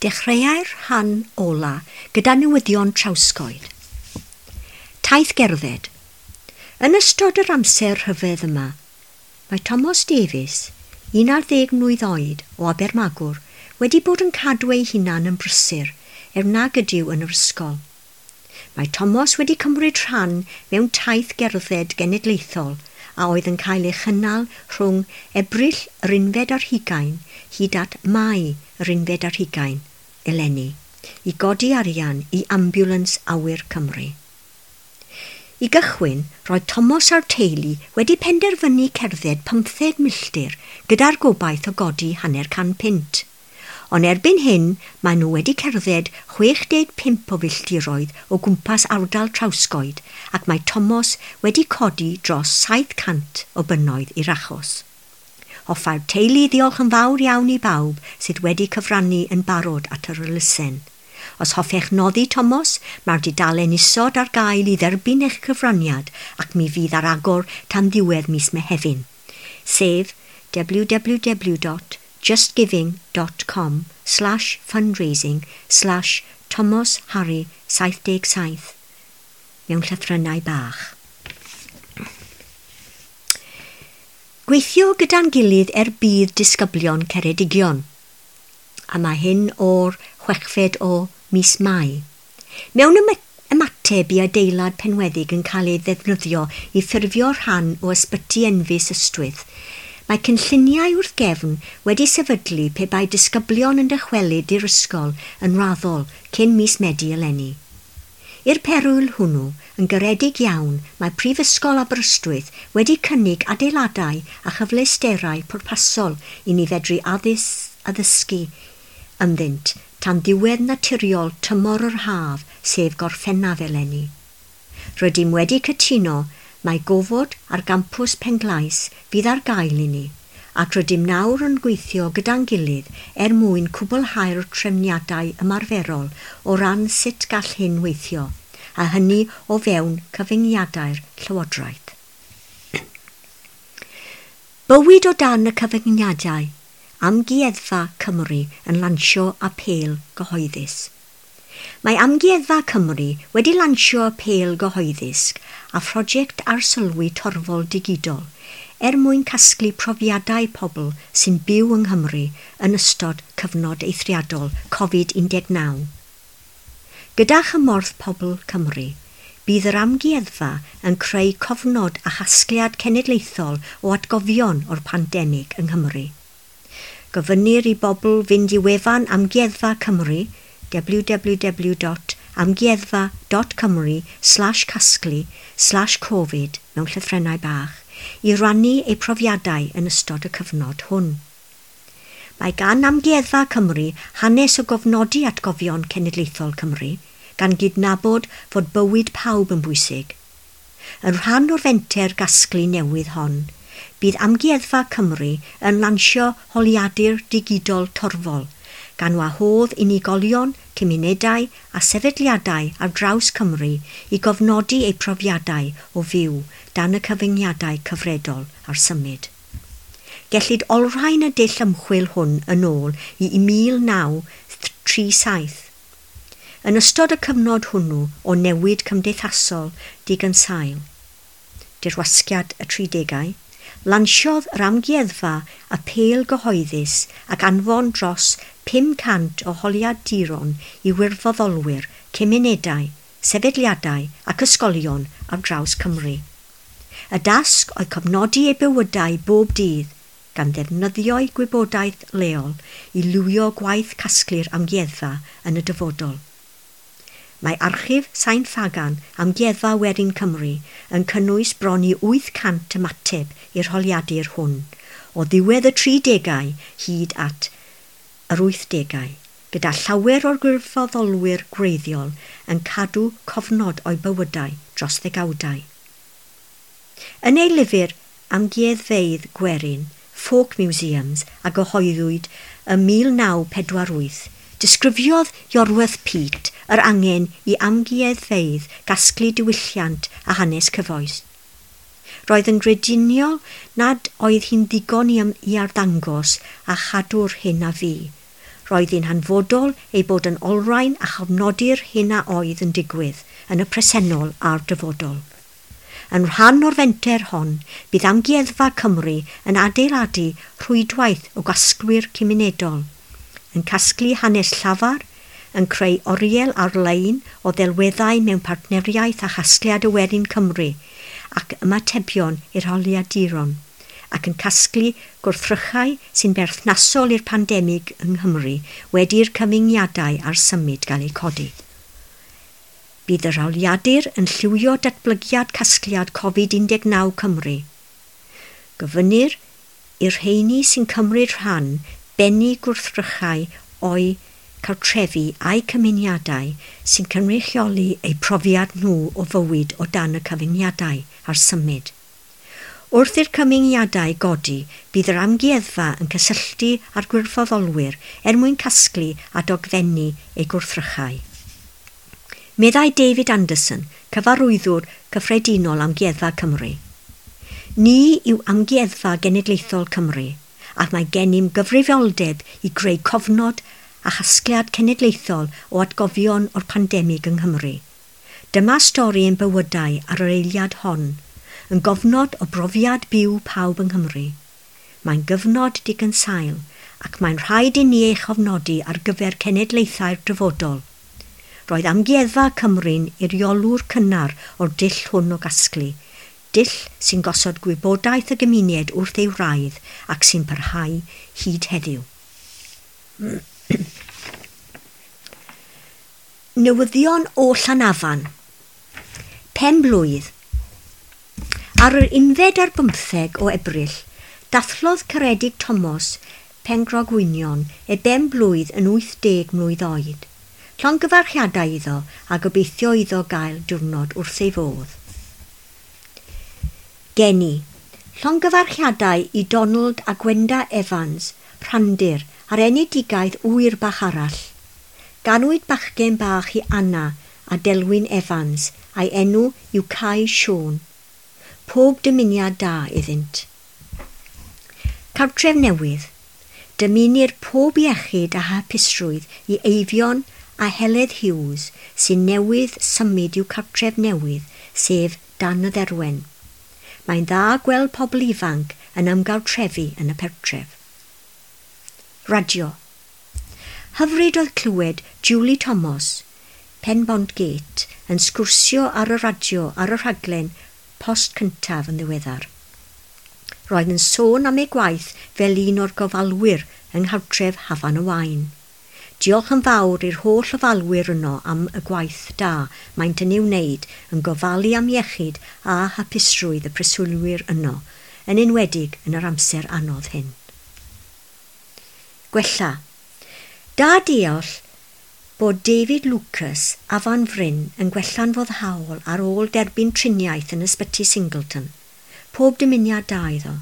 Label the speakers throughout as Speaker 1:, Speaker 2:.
Speaker 1: Dechreuai'r rhan ola gyda newyddion Trawsgoed. Taith gerdded. Yn ystod yr amser rhyfedd yma, mae Thomas Davies, 11 mlwydd oed o Abermagwr, wedi bod yn cadw ei hunan yn brysur er nag ydyw yn yr ysgol. Mae Thomas wedi cymryd rhan mewn taith gerdded genedlaethol a oedd yn cael ei chynnal rhwng Ebrill yr 21 hyd at Mai yr 21 eleni i godi arian i Ambiwlans Awyr Cymru. I gychwyn, roedd Thomas a'r teulu wedi penderfynu cerdded 15 milltir gyda'r gobaith o godi £50. Ond erbyn hyn, maen nhw wedi cerdded 65 o filltiroedd o gwmpas ardal Trawsgoed ac mae Thomas wedi codi dros 700 o bunnoedd i'r achos. Hoffai'r teulu ddiolch yn fawr iawn i bawb sydd wedi cyfrannu yn barod at yr elusen. Os hoffech noddi Thomas, mae'r dudalen isod ar gael i dderbyn eich cyfraniad ac mi fydd ar agor tan ddiwedd mis Mehefin, sef www.justgiving.com/fundraising/thomasharry77 mewn llythrennau bach. Gweithio gyda'n gilydd er budd disgyblion Ceredigion. A mae hyn o'r 6fed o mis Mai. Mewn ymateb i adeilad Penweddig yn cael ei ddefnyddio i ffurfio rhan o ysbyty Enfys Ystwyth, mae cynlluniau wrth gefn wedi sefydlu pe bai disgyblion yn dychwelyd i'r ysgol yn raddol cyn mis Medi eleni. I'r perwyl hwnnw, yn garedig iawn, mae Prifysgol Aberystwyth wedi cynnig adeiladau a chyfleusterau pwrpasol i ni fedru addysgu ynddynt tan ddiwedd naturiol tymor yr haf, sef Gorffennaf eleni. Rydym wedi cytuno mai gofod ar gampws Penglais fydd ar gael i ni, ac rydym nawr yn gweithio gyda'n gilydd er mwyn cwblhau'r trefniadau ymarferol o ran sut gall hyn weithio, a hynny o fewn cyfyngiadau'r Llywodraeth. Bywyd o dan y cyfyngiadau, Amgueddfa Cymru yn lansio apêl gyhoeddus. Mae Amgueddfa Cymru wedi lansio apêl gyhoeddus a phrosiect arsylwi torfol digidol er mwyn casglu profiadau pobl sy'n byw yng Nghymru yn ystod cyfnod eithriadol Covid-19. Gyda chymorth pobl Cymru, bydd yr amgueddfa yn creu cofnod a chasgliad cenedlaethol o atgofion o'r pandemig yng Nghymru. Gofynnir i bobl fynd i wefan Amgueddfa Cymru www.amgueddfa.cymru/casglu/covid mewn llythrennau bach i rannu eu profiadau yn ystod y cyfnod hwn. Mae gan Amgueddfa Cymru hanes o gofnodi atgofion cenedlaethol Cymru, gan gydnabod fod bywyd pawb yn bwysig. Yn rhan o'r fenter gasglu newydd hon, bydd Amgueddfa Cymru yn lansio holiadur digidol torfol, gan wahodd unigolion, cymunedau a sefydliadau ar draws Cymru i gofnodi eu profiadau o fyw dan y cyfyngiadau cyfredol ar symud. Gellid olrhain y dull ymchwil hwn yn ôl i 1937. Yn ystod y cyfnod hwnnw o newid cymdeithasol digynsail, dirwasgiad y 30au, lansiodd yr amgueddfa apêl gyhoeddus ac anfon dros 500 o holiaduron i wirfoddolwyr, cymunedau, sefydliadau ac ysgolion ar draws Cymru. Y dasg oedd cofnodi eu bywydau bob dydd, gan ddefnyddio'u gwybodaeth leol i lywio gwaith casglu'r amgueddfa yn y dyfodol. Mae archif Sain Ffagan Amgueddfa Werin Cymru yn cynnwys bron i 800 ymateb i'r holiadur hwn, o ddiwedd y 30au hyd at yr 80au, gyda llawer o'r gwirfoddolwyr gwreiddiol yn cadw cofnod o'u bywydau dros ddegawdau. Yn ei lyfr Amgueddfeydd Gwerin, Folk Museums, a gyhoeddwyd ym 1948, disgrifiodd Iorwerth Peate yr angen i amgueddfeydd gasglu diwylliant a hanes cyfoes. Roedd yn grediniol nad oedd hi'n ddigon i arddangos a chadw'r hyn a fu. Roedd hi'n hanfodol ei bod yn olrhain a chofnodi'r hyn a oedd yn digwydd yn y presennol a'r dyfodol. Yn rhan o'r fenter hon, bydd Amgueddfa Cymru yn adeiladu rhwydwaith o gasglwyr cymunedol, yn casglu hanes llafar, yn creu oriel ar-lein o ddelweddau mewn partneriaeth â Chasgliad y Werin Cymru ac ymatebion i'r holiaduron, ac yn casglu gwrthrychau sy'n berthnasol i'r pandemig yng Nghymru wedi'r cyfyngiadau ar symud gael eu codi. Bydd yr holiadur yn lliwio datblygiad casgliad Covid-19 Cymru. Gofynnir i'r rheini sy'n cymryd rhan bennu gwrthrychau o'u cartrefi a'u cymunedau sy'n cynrychioli eu profiad nhw o fywyd o dan y cyfyngiadau ar symud. Wrth i'r cyfyngiadau godi, bydd yr amgueddfa yn cysylltu â'r gwirfoddolwyr er mwyn casglu a dogfennu eu gwrthrychau. Meddai David Anderson, cyfarwyddwr cyffredinol Amgueddfa Cymru. Ni yw Amgueddfa Genedlaethol Cymru, ac mae gennym gyfrifoldeb i greu cofnod a chasgliad cenedlaethol o atgofion o'r pandemig yng Nghymru. Dyma stori ein bywydau ar yr eiliad hon, yn gofnod o brofiad byw pawb yng Nghymru. Mae'n gyfnod digynsail ac mae'n rhaid i ni ei chofnodi ar gyfer cenedlaethau'r dyfodol. Roedd Amgueddfa Cymru'n eiriolwr cynnar o'r dull hwn o gasglu, dull sy'n gosod gwybodaeth y gymuned wrth ei wraidd ac sy'n parhau hyd heddiw. Newyddion o Llanafan. Pen blwydd. Ar yr 11 o Ebrill, dathlodd Ceredig Thomas Pengrogwynion ei ben blwydd yn 80 mlwydd oed. Llongyfarchiadau iddo a gobeithio iddo gael diwrnod wrth ei fodd. Geni. Llongyfarchiadau i Donald a Gwenda Evans, Rhandir, ar enedigaeth ŵyr bach arall. Ganwyd bachgen bach i Anna a Delwyn Evans, a'i enw yw Cai Siôn. Pob dymuniad da iddynt. Cartref newydd. Dymunir pob iechyd a hapusrwydd i Eifion a Heledd Hughes sy'n newydd symud i'w cartref newydd, sef Dan y Dderwen. Mae'n dda gweld pobl ifanc yn ymgartrefu yn y pentref. Radio. Hyfryd oedd clywed Julie Thomas, Penbont Gate, yn sgwrsio ar y radio ar y rhaglen Post Cyntaf yn ddiweddar. Roedd yn sôn am ei gwaith fel un o'r gofalwyr yng nghartref Hafan y Waun. Diolch yn fawr i'r holl ofalwyr yno am y gwaith da maent yn ei wneud yn gofalu am iechyd a hapusrwydd y preswylwyr yno, yn enwedig yn yr amser anodd hyn. Gwella. Da deall bod David Lucas, Afan Fryn, yn gwella'n foddhaol ar ôl derbyn triniaeth yn ysbyty Singleton. Pob dymuniad da iddo.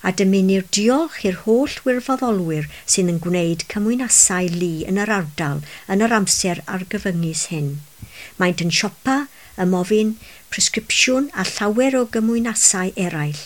Speaker 1: A dymunir diolch i'r holl wirfoddolwyr sydd yn gwneud cymwynasau lu yn yr ardal yn yr amser argyfyngus hyn. Maent yn siopa, ymofyn, presgripsiwn a llawer o gymwynasau eraill.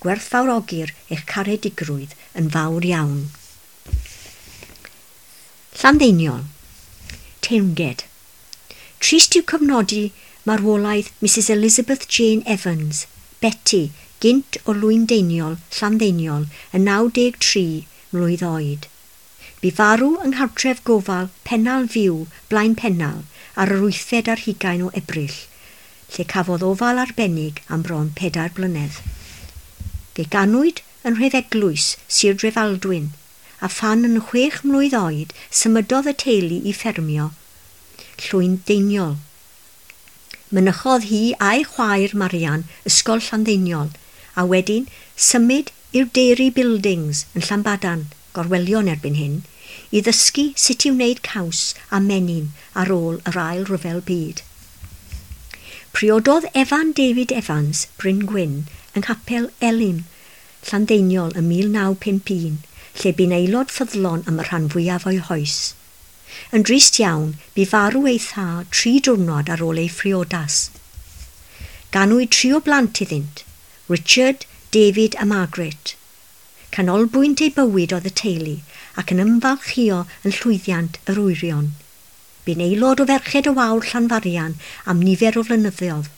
Speaker 1: Gwerthfawrogir eich caredigrwydd yn fawr iawn. Llanddeiniol. Teyrnged. Trist yw cofnodi marwolaeth Mrs Elizabeth Jane Evans, Betty, gynt o Lwyndeiniol, Llanddeiniol, yn 93 mlwydd oed. Bu farw yng nghartref gofal Pennal Fyw, Blaen Pennal, ar yr 28 o Ebrill, lle cafodd ofal arbennig am bron 4 blynedd. Fe ganwyd yn Nhrefeglwys, Sir Drefaldwyn, a phan yn 6 mlwydd oed symudodd y teulu i ffermio Llwyndeiniol. Mynychodd hi a'i chwaer Marian Ysgol Llanddeiniol, a wedyn symud i'r Dairy Buildings yn Llanbadarn, Gorwelion erbyn hyn, i ddysgu sut i wneud caws a menyn ar ôl yr Ail Ryfel Byd. Priododd Evan David Evans, Bryn Gwyn, yng Nghapel Elim, Llanddeiniol ym 1951, lle bu'n aelod ffyddlon am y rhan fwyaf o'i hoes. Yn drist iawn, bu farw ei thad 3 diwrnod ar ôl ei phriodas. Ganwyd 3 o blant iddynt, Richard, David a Margaret. Canolbwynt ei bywyd oedd y teulu ac yn ymfalchïo yn llwyddiant yr wyrion. Bu'n aelod o Ferched y Wawr Llanfarian am nifer o flynyddoedd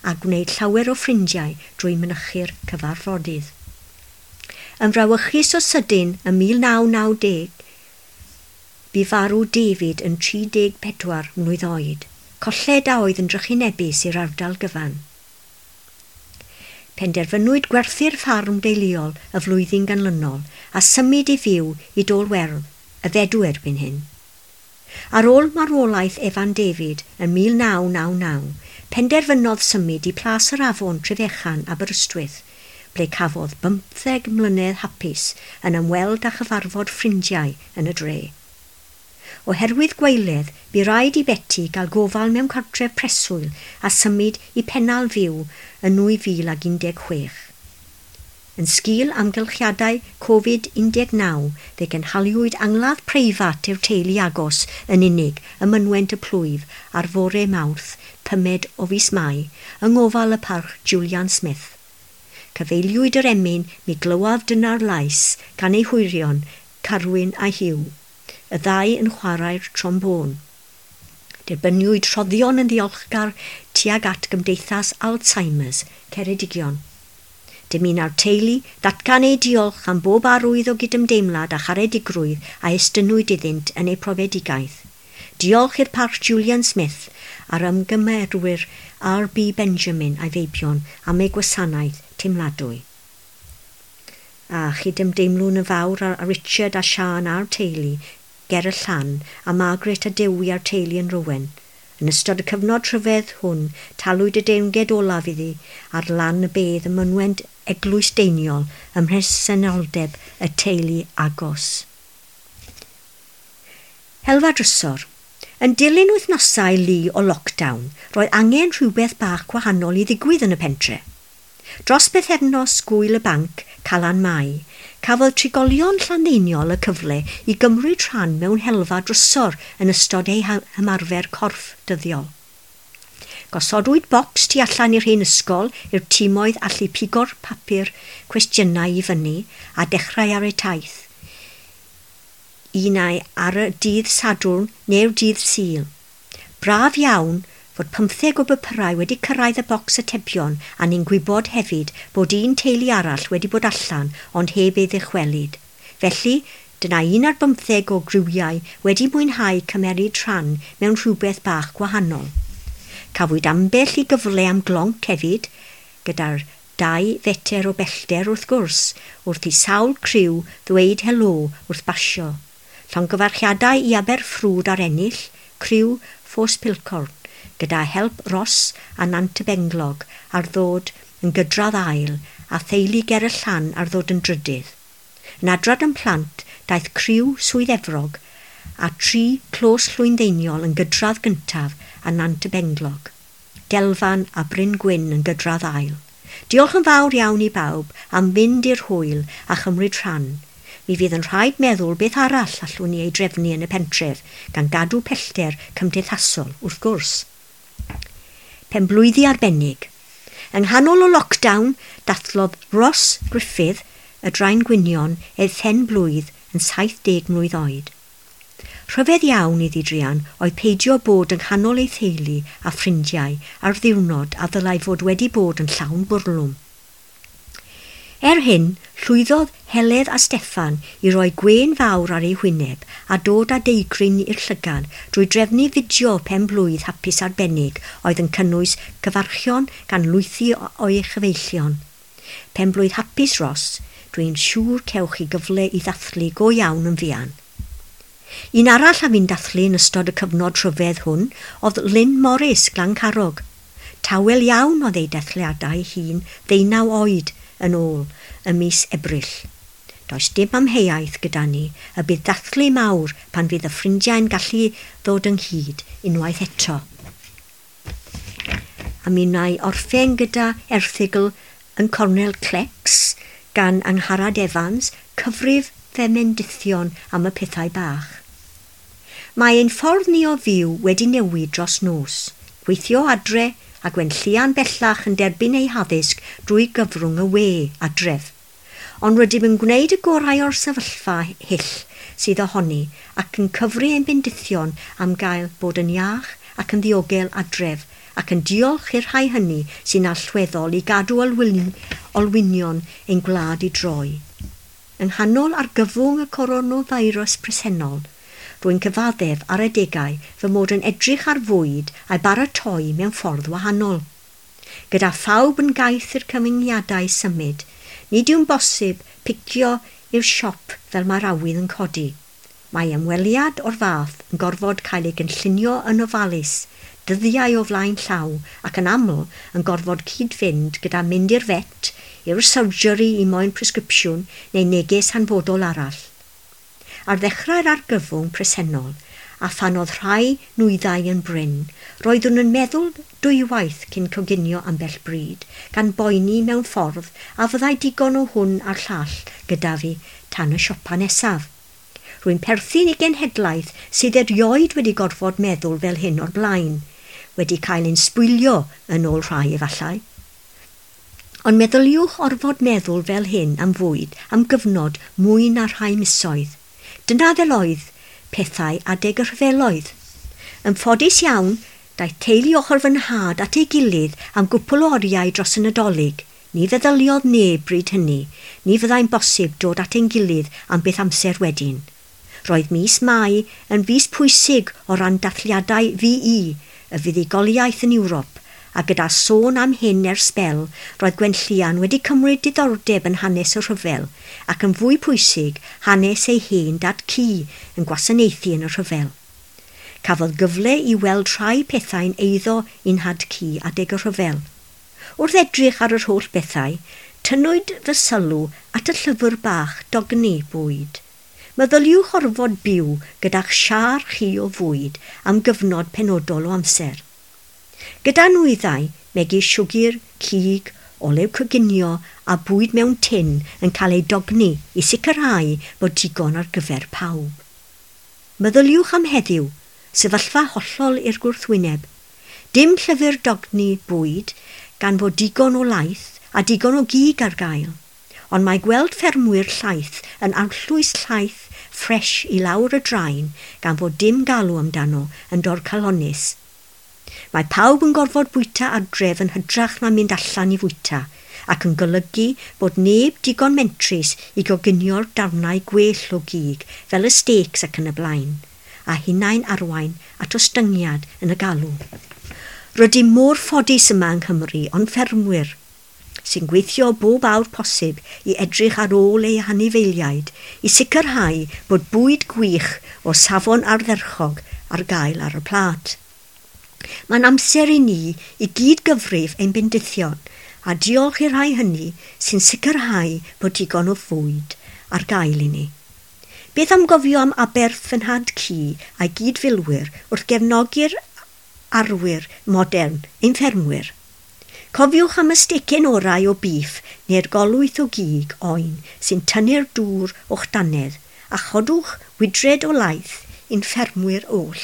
Speaker 1: a gwneud llawer o ffrindiau drwy mynychu'r cyfarfodydd. Yn frawychus o sydyn ym 1990, bu farw David yn 34 mlwydd oed, colled a oedd yn drychinebus i'r ardal gyfan. Penderfynwyd gwerthu'r ffarm deuluol y flwyddyn ganlynol a symud i fyw i Dôl Werdd, y Fedw erbyn hyn. Ar ôl marwolaeth Evan David yn 1999, penderfynodd symud i Plas yr Afon Trefechan, Aberystwyth, ble cafodd 15 mlynedd hapus yn ymweld â chyfarfod ffrindiau yn y dre. Oherwydd gwaeledd, bu raid i Betty gael gofal mewn cartref preswyl a symud i Pennal Fyw yn 2016. Yn sgil amgylchiadau Covid-19, fe gynhaliwyd angladd preifat i'r teulu agos yn unig ym mynwent y plwyf ar fore Mawrth, 5 o fis Mai, yng ngofal y parch Julian Smith. Cyfeiliwyd yr emyn Mi glywaf dyna'r lais gan ei hwyrion, Carwyn a Hugh, y ddau yn chwarae'r trombôn. Derbyniwyd rhoddion yn ddiolchgar tuag at Gymdeithas Alzheimer's, Ceredigion. Dymuna'r teulu ddatgan eu diolch am bob arwydd o gydymdeimlad a charedigrwydd a estynnwyd iddynt yn eu profedigaeth. Diolch i'r parch Julian Smith a'r ymgymerwyr R.B. Benjamin a'i feibion am eu gwasanaeth teimladwy. A chydymdeimlwn yn fawr â Richard a Sian a'r teulu ger y Llan a Margaret a Dewi a'r teulu yn Rowen. Yn ystod y cyfnod rhyfedd hwn, talwyd y deyrnged olaf iddi ar lan y bedd ym mynwent Eglwys Deiniol ym mhresenoldeb y teulu agos. Helfa drysor. Yn dilyn wythnosau lu o lockdown, roedd angen rhywbeth bach gwahanol i ddigwydd yn y pentre. Dros bythefnos gŵyl y banc, Calan Mai, cafodd trigolion Llanddeiniol y cyfle i gymryd rhan mewn helfa drysor yn ystod eu hymarfer corff dyddiol. Gosodwyd bocs tu allan i'r hen ysgol i'r timoedd allu pigo'r papur cwestiynau i fyny a dechrau ar eu taith. Un ai ar y dydd Sadwrn neu'r dydd Sul. Braf iawn fod 15 o bapurau wedi cyrraedd y bocs atebion a ni'n gwybod hefyd bod un teulu arall wedi bod allan ond heb ei ddychwelyd. Felly, dyna 11 o griwiau wedi mwynhau cymeryd rhan mewn rhywbeth bach gwahanol. Cafwyd ambell i gyfle am glonc hefyd, gyda'r 2 fetr o bellter wrth gwrs, wrth i sawl criw ddweud helo wrth basio. Llongyfarchiadau i Aberffrwd ar ennill, criw Ffos Pilcorn, gyda help Ross a Nant y Benglog ar ddod yn gydradd ail a theulu ger y Llan ar ddod yn drydydd. Yn adrad yn plant, daeth criw Swydd Efrog a 3 clos Llwyndeiniol yn gydradd gyntaf a Nant y Benglog. Delfan a Bryn Gwyn yn gydradd ail. Diolch yn fawr iawn i bawb am fynd i'r hwyl a chymryd rhan. Mi fydd yn rhaid meddwl beth arall allwn ni ei drefnu yn y pentref, gan gadw pellter cymdeithasol, wrth gwrs. Penblwyddi arbennig. Yng nghanol o lockdown, dathlodd Ross Griffith, y Draen Gwynion, ei phen-blwydd yn 70 mlwydd oed. Rhyfedd iawn iddi druan oedd peidio bod yng nghanol ei theulu a ffrindiau ar ddiwrnod a ddylai fod wedi bod yn llawn bwrlwm. Er hyn, llwyddodd Heledd a Steffan i roi gwên fawr ar ei hwyneb a dod â deigryn i'r llygad drwy drefnu fideo pen-blwydd hapus arbennig oedd yn cynnwys cyfarchion gan lwythi o'i chyfeillion. Pen-blwydd hapus, Ross, dwi'n siŵr cewch chi gyfle i ddathlu go iawn yn fuan. Un arall a fu'n dathlu yn ystod y cyfnod rhyfedd hwn oedd Lynn Morris, Glancarog. Tawel iawn oedd ei dathliadau hun 19 oed yn ôl ym mis Ebrill. Does dim amheuaeth gyda ni y bydd dathlu mawr pan fydd y ffrindiau'n gallu ddod ynghyd unwaith eto. A mi wna i orffen gyda erthygl yn Cornel Clecs gan Angharad Evans, cyfrif femendithion am y pethau bach. Mae ein ffordd ni o fyw wedi newid dros nos. Gweithio adre a Gwenllian bellach yn derbyn ei haddysg drwy gyfrwng y we adref. Ond rydym yn gwneud y gorau o'r sefyllfa hyll sydd ohoni ac yn cyfri ein bendithion am gael bod yn iach ac yn ddiogel adref ac yn diolch i'r rhai hynny sy'n allweddol i gadw olwynion ein gwlad i droi. Yng nghanol argyfwng y coronafeirws presennol, rwy'n cyfaddef ar adegau fy mod yn edrych ar fwyd a'i baratoi mewn ffordd wahanol. Gyda phawb yn gaeth i'r cyfyngiadau symud, nid yw'n bosib picio i'r siop fel mae'r awydd yn codi. Mae ymweliad o'r fath yn gorfod cael ei gynllunio yn ofalus, dyddiau o flaen llaw ac yn aml yn gorfod cyd-fynd gyda mynd i'r vet, i'r surgery i moyn presgripsiwn neu neges hanfodol arall. Ar ddechrau'r argyfwng presennol, a phan oedd rhai nwyddau yn brin, roeddwn yn meddwl dwywaith cyn coginio ambell bryd, gan boeni mewn ffordd a fyddai digon o hwn a'r llall gyda fi tan y siopa nesaf. Rwy'n perthyn i genhedlaeth sydd erioed wedi gorfod meddwl fel hyn o'r blaen, wedi cael ein sbwylio yn ôl rhai efallai. Ond meddyliwch orfod meddwl fel hyn am fwyd am gyfnod mwy na rhai misoedd. Dyna fel oedd pethau adeg y rhyfeloedd. Yn ffodus iawn, daeth teulu ochr fy nhad at ei gilydd am gwpl o oriau dros y Nadolig. Ni feddyliodd neb bryd hynny. Ni fyddai'n bosib dod at ein gilydd am beth amser wedyn. Roedd mis Mai yn fis pwysig o ran dathliadau VE, y fuddugoliaeth yn Ewrop, a gyda sôn am hyn ers sbel, roedd Gwenllian wedi cymryd diddordeb yn hanes y rhyfel, ac yn fwy pwysig, hanes ei hen dad cu yn gwasanaethu yn y rhyfel. Cafodd gyfle i weld rhai pethau'n eiddo i'n nhad cu adeg y rhyfel. Wrth edrych ar yr holl bethau, tynnwyd fy sylw at y llyfr bach dogni bwyd. Meddyliwch orfod byw gyda'ch siâr chi o fwyd am gyfnod penodol o amser. Gyda nwyddau megis siwgr, cig, olew coginio a bwyd mewn tin yn cael ei dogni i sicrhau bod digon ar gyfer pawb. Meddyliwch am heddiw, sefyllfa hollol i'r gwrthwyneb. Dim llyfr dogni bwyd gan fod digon o laeth a digon o gig ar gael. Ond mae gweld ffermwyr llaeth yn arllwys llaeth ffres i lawr y draen gan fod dim galw amdano yn dorcalonnus. Mae pawb yn gorfod bwyta adref yn hytrach na mynd allan i fwyta, ac yn golygu bod neb digon mentrus i goginio'r darnau gwell o gig fel y steaks ac yn y blaen, a hunain arwain at ostyngiad yn y galw. Rydym mor ffodus yma yng Nghymru, ond ffermwyr, sy'n gweithio bob awr posib i edrych ar ôl eu hanifeiliaid i sicrhau bod bwyd gwych o safon ardderchog ar gael ar y plât. Mae'n amser i ni i gyd gyfrif ein bendithion a diolch i'r rhai hynny sy'n sicrhau bod digon o fwyd ar gael i ni. Beth am gofio am aberth fy nhad cu a'i gydfilwyr wrth gefnogi'r arwyr modern, ein ffermwyr? Cofiwch am y stecen orau o biff neu'r golwyth o gig oen sy'n tynnu'r dŵr o'ch dannedd a chodwch wydred o laeth i'n ffermwyr oll.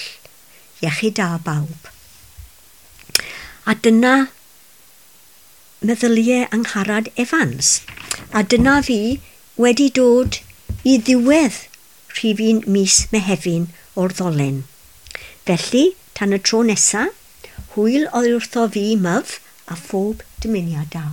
Speaker 1: Iechyd da bawb. A dyna meddyliau Angharad Evans. A dyna fi wedi dod i ddiwedd rhifyn mis Mehefin o'r ddolen. Felly, tan y tro nesa, hwyl oedd wrtho fi myf a phob dymuniad da.